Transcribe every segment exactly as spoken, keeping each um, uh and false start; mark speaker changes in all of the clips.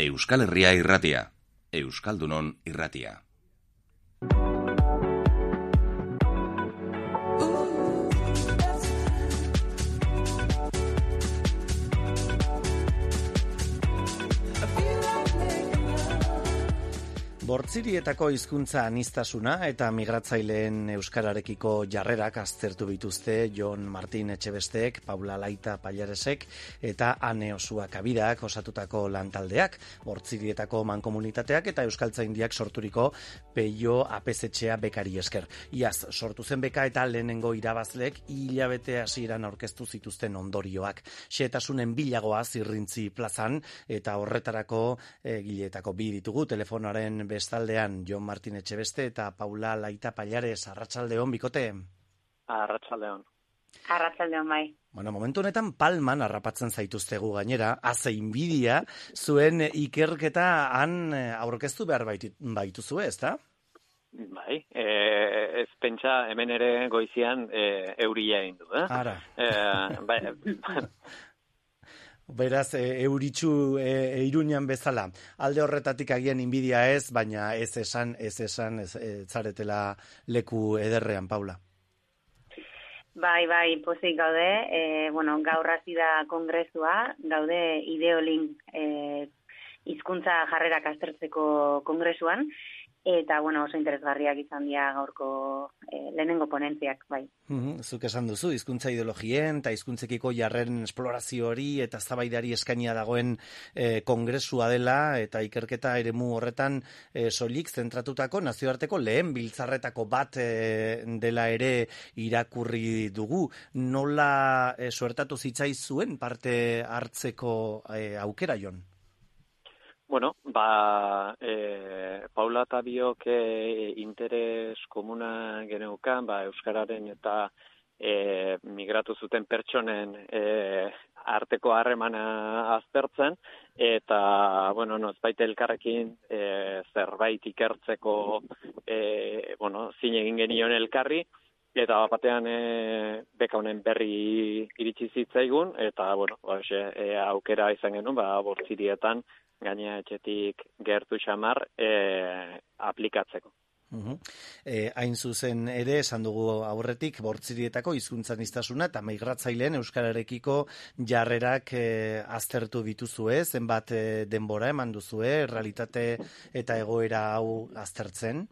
Speaker 1: Euskal Herria irratia, Euskaldunon irratia.
Speaker 2: Bortzirietako hizkuntza aniztasuna eta migratzaileen euskararekiko jarrerak aztertu bituzte Jon Martin Etxebesteek, Paula Laita Pallaresek eta Ane Osua Kabidak osatutako lantaldeak, Bortzirietako mankomunitateak eta Euskaltzaindiak sorturiko Peio Apezetxea bekari esker. Iaz sortu zen beka eta lehenengo irabazleek hilabete hasieran aurkeztu zituzten ondorioak. Xehetasunen bilagoa Zirrintzi plazan eta horretarako egileetako bi ditugu telefonoaren bestaldean Jon Martin Etxebeste eta Paula Laita Pallares. Arratsaldeon bikote.
Speaker 3: Arratsaldeon.
Speaker 4: Arratsaldeon bai.
Speaker 2: Bueno, momentu honetan palman harrapatzen zaituztegu gainera, haze inbidia, zuen ikerketa han aurkeztu behar baituzue, ezta?
Speaker 3: Bai, e, ez pentsa hemen ere goizian e, euria egin du, eh?
Speaker 2: Ara.
Speaker 3: E, bai,
Speaker 2: Beraz, e, euritxu e, Iruñan bezala. Alde horretatik agian inbidia ez, baina ez esan, ez esan, ez, ez zaretela leku ederrean, Paula.
Speaker 4: Bai, bai, pozik gaude. E, bueno, gaur hasi da kongresua, gaude Ideolink e, hizkuntza jarrerak aztertzeko kongresuan, eta, bueno, oso interesgarriak izan dira gaurko e, lehenengo ponentziak, bai.
Speaker 2: Mm-hmm. Zuk esan duzu, hizkuntza ideologien eta hizkuntzekiko jarren esplorazio hori eta eztabaidari eskainia dagoen e, kongresua dela eta ikerketa eremu horretan e, soilik zentratutako nazioarteko lehen biltzarretako bat e, dela ere irakurri dugu. Nola e, suertatu zitzaizuen parte hartzeko e, aukera, Jon?
Speaker 3: Bueno, ba, e, Paula eta biok e, interes komuna geneukan, ba, euskararen eta e, migratu zuten pertsonen e, arteko harremana aztertzen, eta, bueno, nozbait elkarrekin e, zerbait ikertzeko, e, bueno, zin egin genion elkarri, eta batean e, beka honen berri iritsi zitzaigun, eta, bueno, ba, e, aukera izan genuen, ba, Bortzirietan, gaina etxetik gertu xamar e, aplikatzeko.
Speaker 2: Uhum. E, hain zuzen ere, esan dugu aurretik, Bortzirietako hizkuntzaniztasuna eta migratzaileen euskararekiko jarrerak e, aztertu dituzue, zenbat e, denbora eman duzue, realitate eta egoera hau aztertzen?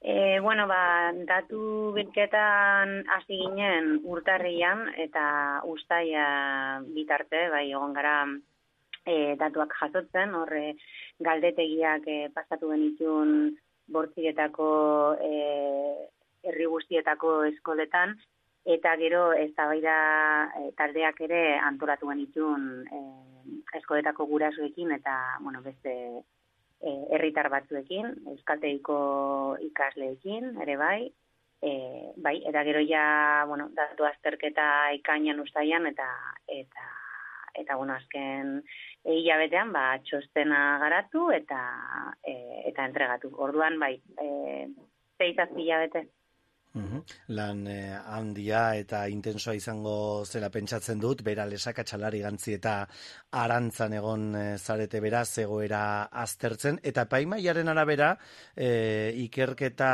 Speaker 4: E, bueno, ba, datu bilketan hasi ginen urtarrian eta uztaia bitarte, bai, egon gara E, datuak jasotzen, horre galdetegiak e, pasatu genitun Bortzirietako e, herri guztietako eskoletan, eta gero eztabaida e, taldeak ere antolatu genitun e, eskoletako gurasoekin eta bueno, beste e, herritar batzuekin, euskaltegiko ikasleekin, ere bai, e, bai, eta gero ja, bueno, datu azterketa ikainan ustaian eta eta eta bueno, azken hilabetean ba txostena garatu eta e, eta entregatu. Orduan bai, eh sei zazpi hilabete.
Speaker 2: Uhum. Lan eh, handia eta intensoa izango zela pentsatzen dut, bera lesaka txalari gantzi eta arantzan egon eh, zarete beraz egoera aztertzen, eta epaimaiaren arabera eh, ikerketa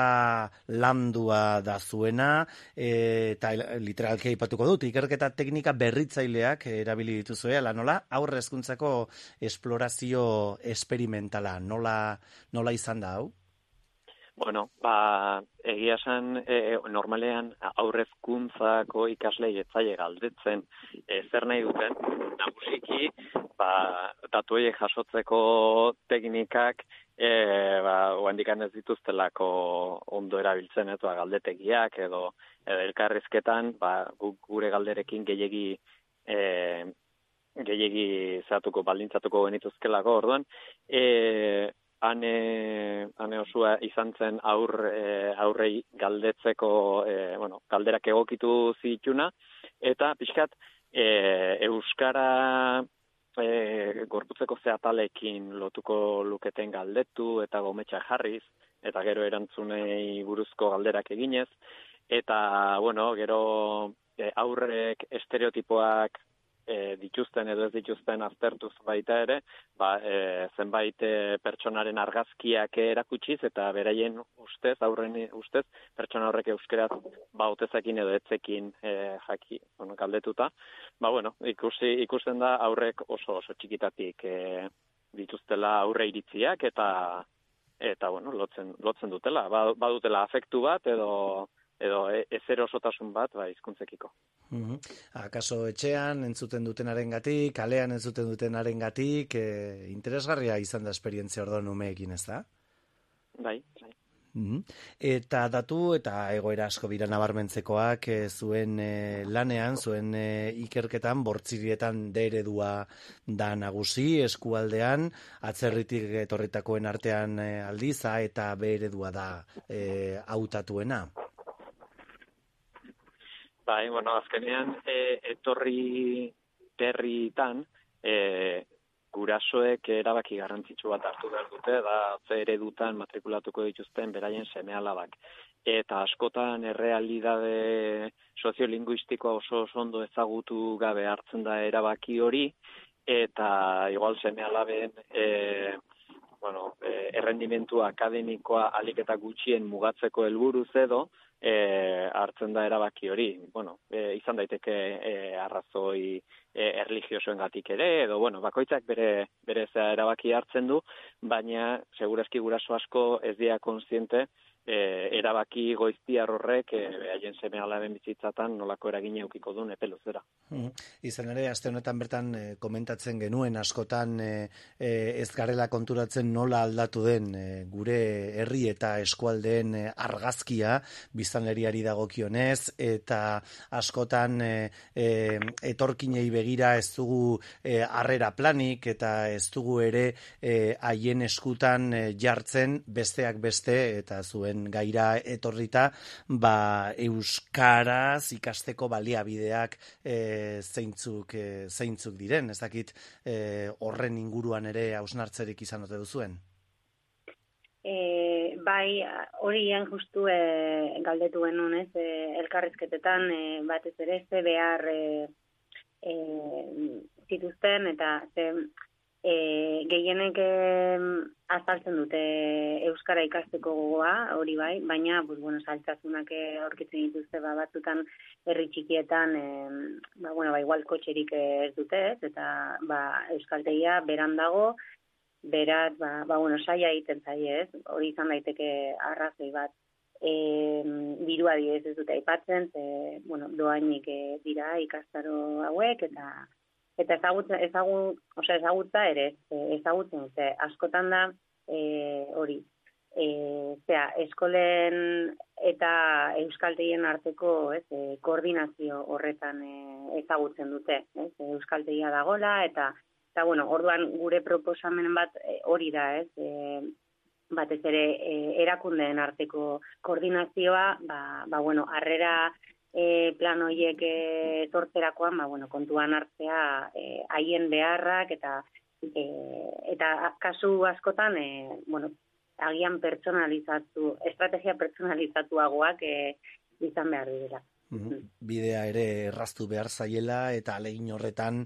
Speaker 2: landua da zuena, eh, eta literalki aipatuko dut, ikerketa teknika berritzaileak erabili dituzue, ala nola, aurre hezkuntzako esplorazio esperimentala, nola, nola izan da hau?
Speaker 3: Bueno, ba, egia esan, e, normalean aurrezkuntzako ikaslei etzaile galdetzen e, zer nahi duten, nagusiki, ba, datu horiek jasotzeko teknikak, e, ba, oandikan ez dituztelako ondo erabiltzen, ez, ba, galdetegiak edo, edo elkarrizketan, ba, gure galderekin gehiegi e, gehiegi zatuko, baldintzatuko genituzkelako, orduan, e, Ane, ane Osua izan zen aur, e, aurrei galdetzeko, e, bueno, galderak egokitu zituna, eta pixkat e, euskara e, gorputzeko zehatalekin lotuko luketen galdetu eta gometxa jarriz, eta gero erantzunei buruzko galderak eginez, eta, bueno, gero e, aurrek estereotipoak e, dituzten edo ez dituzten aztertuz baita ere, ba, e, zenbait e, pertsonaren argazkiak erakutsiz eta beraien ustez, aurren ustez, pertsona horrek euskeraz ba, otezakin edo etzekin e, jaki, bueno, galdetuta. Ba, bueno, ikusi, ikusten da aurrek oso oso txikitatik e, dituztela aurre iritziak eta eta bueno, lotzen, lotzen dutela. Ba, badutela afektu bat edo edo ezerosotasun bat ba, hizkuntzekiko.
Speaker 2: Mm-hmm. Akaso etxean entzuten dutenarengatik, kalean entzuten dutenarengatik, e, interesgarria izan da esperientzia orduan umeekin, ez da?
Speaker 3: Bai, bai.
Speaker 2: Mm-hmm. Eta datu eta egoera asko dira nabarmentzekoak e, zuen e, lanean, zuen e, ikerketan, bortzirietan de eredua da nagusi, eskualdean, atzerritik etorritakoen artean e, aldiz, A eta B eredua da e, hautatuena.
Speaker 3: Bai, bueno, azkenean e, etorri berritan e, gurasoek erabaki garrantzitsu bat hartu behar dute, da ze eredutan matrikulatuko dituzten beraien seme-alabak. Eta askotan errealidade soziolinguistikoa oso oso ondo ezagutu gabe hartzen da erabaki hori, eta igual seme-alaben e, bueno, e, errendimentu akademikoa ahalik eta gutxien mugatzeko helburuz edo, E, hartzen da erabaki hori. Bueno, e, izan daiteke e, arrazoi e, erlijiosoengatik ere, edo, bueno, bakoitzak bere, bere zea erabaki hartzen du, baina segurazki guraso asko ez dira kontziente e, erabaki goiztiar horrek e, haien seme-alaben bizitzatan nolako eragina edukiko duen epe luzera.
Speaker 2: Mm. Izan ere, aste honetan bertan e, komentatzen genuen askotan e, e, ez garela konturatzen nola aldatu den e, gure herri eta eskualdeen e, argazkia biztanleriari dagokionez, eta askotan e, e, etorkinei begira ez dugu e, harrera planik eta ez dugu ere e, haien eskutan e, jartzen besteak beste eta zuen gaira etorrita ba, euskaraz ikasteko baliabideak e, zeintzuk, e, zeintzuk diren, ez dakit e, horren inguruan ere hausnartzerik izan ote duzuen?
Speaker 4: E, bai, horien justu e, galdetu genuen, ez, e, elkarrizketetan e, batez ere ze behar e, e, zituzten eta ze e, gehienek e, azaltzen dute euskara ikasteko gogoa, hori bai, baina pues, bueno, saltasunak aurkitzen dituzte ba, batzutan herri txikietan e, ba, bueno, ba, igual kotxerik ez dute, ez, eta ba, euskaltegia beran dago. Beraz, ba, ba, bueno, saia egiten zaie, ez? Hori izan daiteke arrazoi bat. E, dirua adibidez ez dute aipatzen, ze, bueno, doainik e, dira ikastaro hauek, eta eta ezagutza, ezagut, osea, ezagutza ere, ezagutzen, ze, askotan da, e, hori, e, zera, eskolen eta euskaltegien arteko, ez, e, koordinazio horretan e, ezagutzen dute, ez? Euskaltegia dagola, eta Eta, bueno, orduan gure proposamen bat hori da, ez, e, batez ere e, erakundeen arteko koordinazioa, ba, ba bueno, harrera e, plan horiek e, tortzerakoan, ba, bueno, kontuan hartzea e, haien beharrak, eta e, eta kasu askotan, e, bueno, agian pertsonalizatu, estrategia pertsonalizatuagoak e, izan behar dira.
Speaker 2: Bidea ere erraztu behar zaiela eta alegin horretan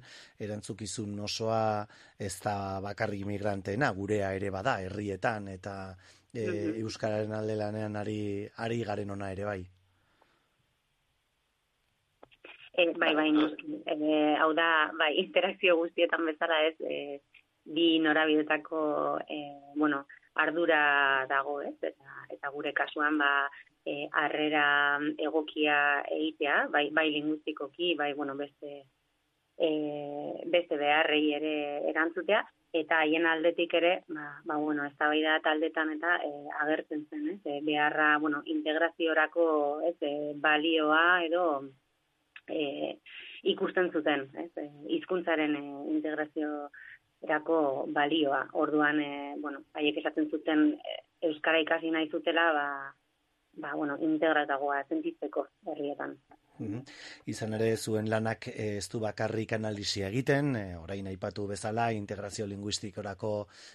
Speaker 2: erantzukizun osoa ez da bakarrik imigranteena, gurea ere bada herrietan eta e, mm-hmm. euskararen alde lanean ari, ari garen ona ere bai.
Speaker 4: E, bai, bai, e, hau da, bai, interakzio guztietan bezala ez, e, bi norabidetako e, bueno, ardura dago, ez, eta, eta gure kasuan ba E, harrera egokia egitea, bai, bai lingustikoki, bai, bueno, beste, e, beste beharrei ere erantzutea, eta haien aldetik ere, ba, ba bueno, eztabaida taldetan eta e, agertzen zen, ez, e, beharra, bueno, integraziorako, ez, e, balioa edo e, ikusten zuten, ez, e, hizkuntzaren e, integraziorako balioa. Orduan, e, bueno, haiek esaten zuten e, euskara ikasi nahi zutela, ba, ba, bueno, integratagoa sentitzeko herrietan.
Speaker 2: Mm-hmm. Izan ere zuen lanak ez du bakarrik analisia egiten, e, orain aipatu bezala integrazio linguistikorako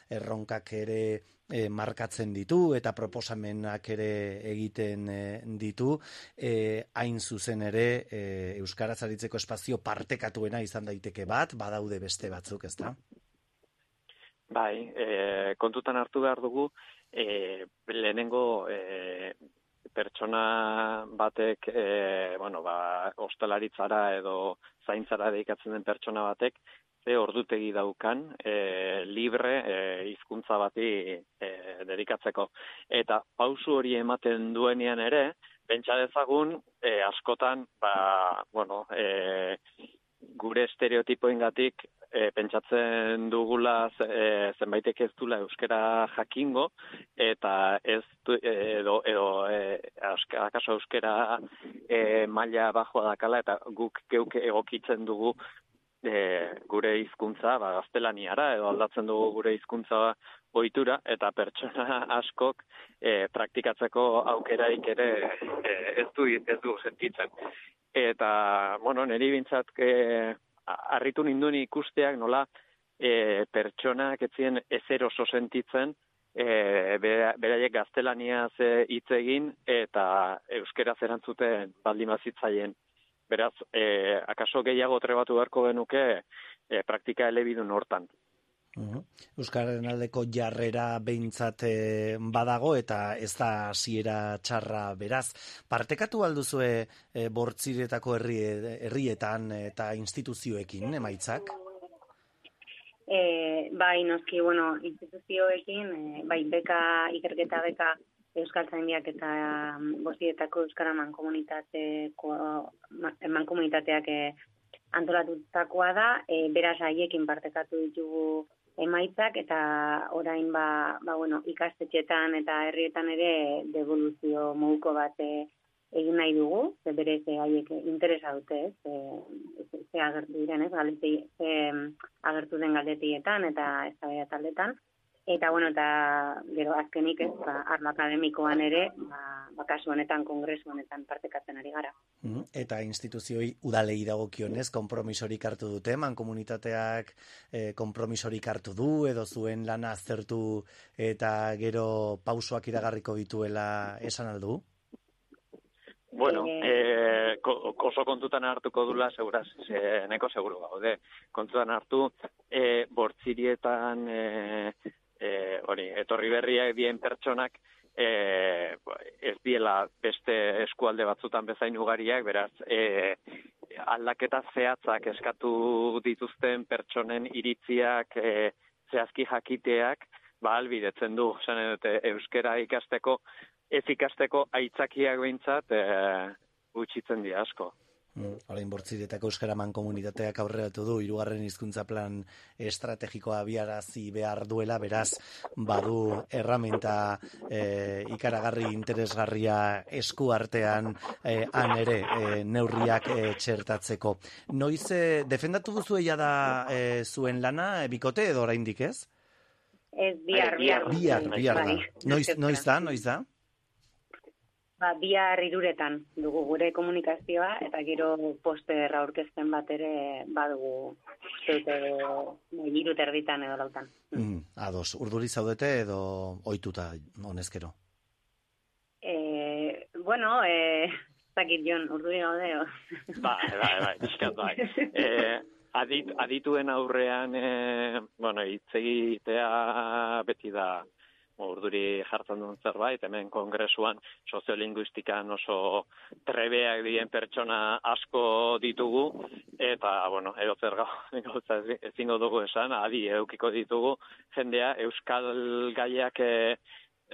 Speaker 2: erronkak ere e, markatzen ditu eta proposamenak ere egiten e, ditu, e, hain zuzen ere e, euskaraz aritzeko espazio partekatuena izan daiteke bat, badaude beste batzuk, ezta?
Speaker 3: Bai, e, kontutan hartu behar dugu, e, lehenengo e, pertsona batek, e, bueno, ba, ostalaritzara edo zaintzara dedikatzen den pertsona batek, ze ordutegi daukan e, libre e, hizkuntza bati e, dedikatzeko. Eta pausu hori ematen duenean ere, pentsa dezagun, e, askotan, ba, bueno, e, gure estereotipoengatik e, pentsatzen dugula e, zenbaitek ez dula euskera jakingo eta ez du, edo, edo e, akaso euskera e, maila bajoa dakala eta guk geuk egokitzen dugu e, gure hizkuntza ba, gaztelaniara edo aldatzen dugu gure hizkuntza ohitura eta pertsona askok e, praktikatzeko aukeraik ere e, ez du ez du sentitzen. Eta, bueno, niri bintzat e, harritu ninduen ikusteak nola e, pertsonak etzien ezer oso sentitzen e, beraiek gaztelaniaz hitz egin eta euskeraz erantzuten baldin bazitzaien. Beraz, e, akaso gehiago trebatu beharko genuke e, praktika elebidun hortan.
Speaker 2: Uh-huh. Euskararen aldeko jarrera behintzat e, badago eta ez da hasiera txarra beraz. Partekatu alduzue e, bortziretako herri, herrietan eta instituzioekin emaitzak?
Speaker 4: E, bai, noski, bueno, instituzioekin, e, bai, beka, ikerketa beka Euskaltzaindiak eta bortziretako Euskara mankomunitateko mankomunitateak e, antolatutakoa da, e, beraz haiekin partekatu ditugu emaitzak eta orain ba, ba bueno, ikastetxetan eta herrietan ere devoluzio moduko bat e, egin nahi dugu, ze berez haiek interesa dute, ez, ze, ze agertu diren, ez, galdeti, ze agertu den galdetietan eta eztabaida taldetan. Eta, bueno, eta gero azkenik ez, ba, arlo akademikoan ere, ba, ba kasu honetan, kongresu honetan partekatzen ari gara.
Speaker 2: Eta instituzioi udalei dagokionez, konpromisorik hartu dute, mankomunitateak eh, konpromisorik hartu du, edo zuen lana aztertu eta gero pausoak iragarriko dituela esan aldu?
Speaker 3: Bueno, eh, oso kontutan hartuko dula, seguraz, eh, neko seguru gaude. Kontutan hartu, eh, bortzirietan, eh, eh, hori, etorri berriak dien pertsonak, eh, ez diela beste eskualde batzutan bezain ugariak, beraz, eh, aldaketa zehatzak eskatu dituzten pertsonen iritziak, eh, zehazki jakiteak, ba, albidetzen du, zan dute, euskera ikasteko, ez ikasteko aitzakiak behintzat e, gutxitzen dira asko.
Speaker 2: Mm, Orain bortziretako euskara mankomunitateak aurreratu du hirugarren hizkuntza plan estrategikoa abiarazi behar duela, beraz badu erramenta e, ikaragarri interesgarria esku artean e, han ere e, neurriak e, txertatzeko. Noiz e, defendatu duzu eia da e, zuen lana, e, bikote edo oraindik ez?
Speaker 4: Ez, bihar, bihar.
Speaker 2: Bihar, bihar da. Noiz, noiz da, noiz da?
Speaker 4: Ba, bihar hiruretan dugu gure komunikazioa eta gero poster aurkezpen bat ere badugu hiru terditan edo lautan.
Speaker 2: Mm, ados, urduri zaudete edo ohituta honezkero?
Speaker 4: Eh, bueno, eh, zakit Jon, urduri gaude.
Speaker 3: Bai, bai, bai, eskat bai. Eh, adit, adituen aurrean, eh, bueno, hitz egitea beti da urduri jartzen duen zerbait, hemen kongresuan soziolinguistikan oso trebeak dien pertsona asko ditugu, eta, bueno, edo zer gauza ezingo dugu esan, adi eukiko ditugu, jendea euskal gaiak, e,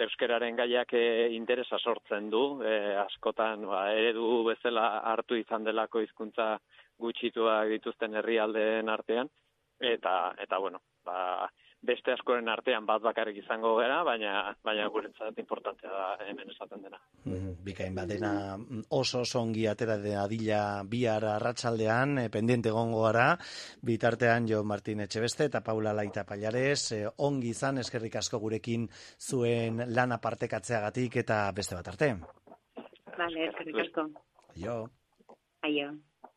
Speaker 3: euskararen gaiak e, interesa sortzen du, e, askotan ba, eredu bezala hartu izan delako hizkuntza gutxituak dituzten herrialdeen artean, eta, eta bueno, ba, beste askoren artean bat bakarrik izango gara, baina baina guretzat importantea da hemen esaten dena.
Speaker 2: Mm, bikain bat dena oso oso ongi atera de adila bihar arratsaldean, e, pendiente egongo gara, bitartean Jo Martin Etxebeste eta Paula Laita Pallares, e, ongi izan, eskerrik asko gurekin zuen lana partekatzeagatik eta beste bat arte.
Speaker 4: Vale, eskerrik asko.
Speaker 2: Jo.
Speaker 4: Aio.